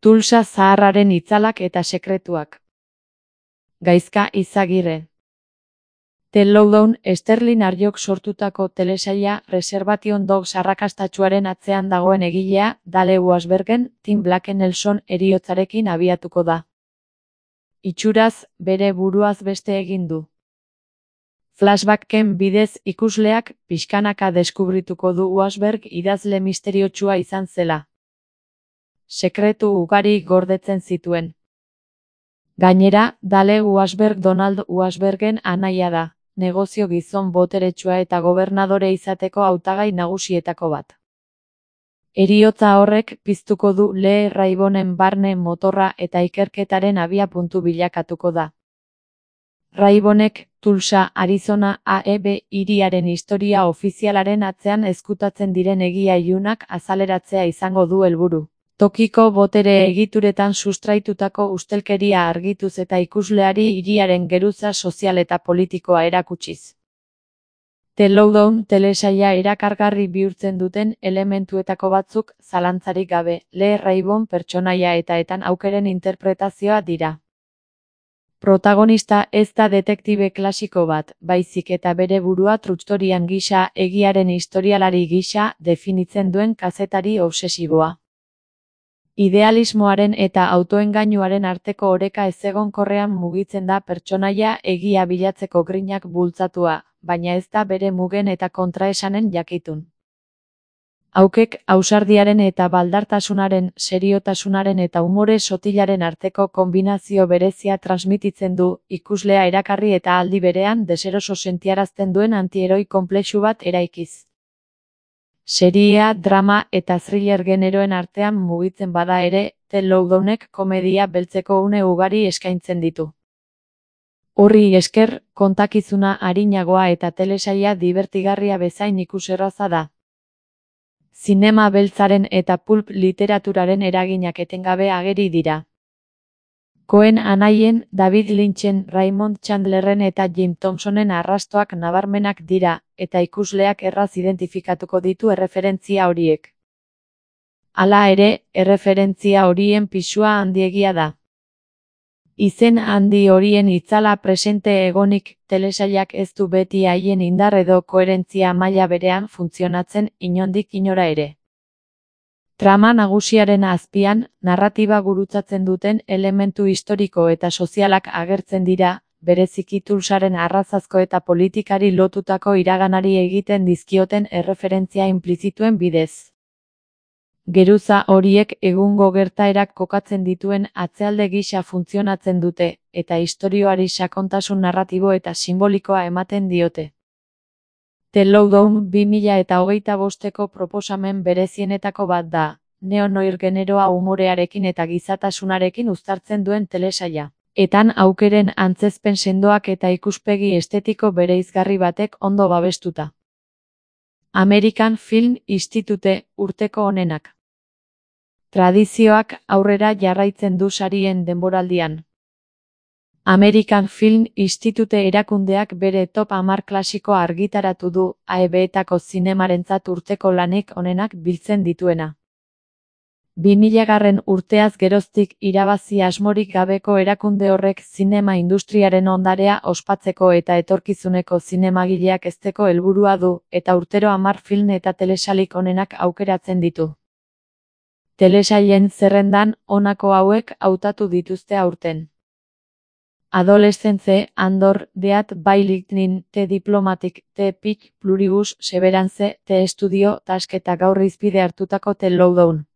Tulsa zaharraren itzalak eta sekretuak. Gaizka Izagirre. The Lowdown Sterling Arjok sortutako telesaila Reservation Dogs arrakastatsuaren atzean dagoen egilea Dale Washburnen Tim Blake Nelson heriotzarekin abiatuko da. Itxuraz, bere buruaz beste egin du. Flashbacken bidez ikusleak pixkanaka deskubrituko du Washburn idazle misteriotsua izan zela. Sekretu ugari gordetzen zituen. Gainera, Dale Washburn Donald Washburnen anaia da, negozio gizon boteretsua eta gobernadore izateko hautagai nagusietako bat. Heriotza horrek piztuko du Lee Raybonen barne motorra eta ikerketaren abiapuntu bilakatuko da. Raybonek Tulsa, Arizona AEB hiriaren historia ofizialaren atzean ezkutatzen diren egia ilunak azaleratzea izango du helburu. Tokiko botere egituretan sustraitutako ustelkeria argituz eta ikusleari hiriaren geruza sozial eta politikoa erakutsiz. The Lowdown telesaila erakargarri bihurtzen duten elementuetako batzuk zalantzarik gabe Lee Raybon pertsonaia eta aukeren interpretazioa dira. Protagonista ez da detektibe klasiko bat, baizik eta bere burua truttorian gisa egiaren historialari gisa definitzen duen kazetari obsesiboa. Idealismoaren eta autoengainuaren arteko oreka ezegonkorrean mugitzen da pertsonaia egia bilatzeko grinak bultzatua, baina ez da bere mugen eta kontraesanen jakitun. Haukek ausardiaren eta baldartasunaren, seriotasunaren eta umore sotilaren arteko konbinazio berezia transmititzen du, ikuslea erakarri eta aldi berean deseroso sentiarazten duen antieroi konplexu bat eraikiz. Seria, drama eta thriller generoen artean mugitzen bada ere, The Lowdownek komedia beltzeko une ugari eskaintzen ditu. Horri esker, kontakizuna arinagoa eta telesaila dibertigarria bezain ikuserraza da. Zinema beltzaren eta pulp literaturaren eraginak etengabe ageri dira. Coen anaien, David Lynchen, Raymond Chandlerren eta Jim Thompsonen arrastoak nabarmenak dira, eta ikusleak erraz identifikatuko ditu erreferentzia horiek. Hala ere, erreferentzia horien pisua handiegia da. Izen handi horien itzala presente egonik, telesailak ez du beti haien indar edo koherentzia maila berean funtzionatzen inondik inora ere. Trama nagusiaren azpian, narratiba gurutzatzen duten elementu historiko eta sozialak agertzen dira, bereziki Tulsaren arrazazko eta politikari lotutako iraganari egiten dizkioten erreferentzia inplizituen bidez. Geruza horiek egungo gertaerak kokatzen dituen atzealde gisa funtzionatzen dute, eta istorioari sakontasun narratibo eta simbolikoa ematen diote. The Lowdown 2025ko proposamen berezienetako bat da, neo-noir generoa umorearekin eta gizatasunarekin uztartzen duen telesaila. Etan aukeren antzezpen sendoak eta ikuspegi estetiko bereizgarri batek ondo babestuta. American Film Institute urteko onenak. Tradizioak aurrera jarraitzen du sarien denboraldian. American Film Institute erakundeak bere top 10 klasikoa argitaratu du, AEB-etako zinemarentzat urteko lanik onenak biltzen dituena. 2000 urteaz geroztik irabazi asmorik gabeko erakunde horrek zinema industriaren ondarea ospatzeko eta etorkizuneko zinemagileak hezteko helburua du, eta urtero 10 film eta telesailik onenak aukeratzen ditu. Telesailen zerrendan honako hauek hautatu dituzte aurten. Adolescence, Andor, Death by Lightning, The Diplomatic, The Pitch, Pluribus, Severance, The Studio, Task eta gaur hizpide hartutako The Lowdown.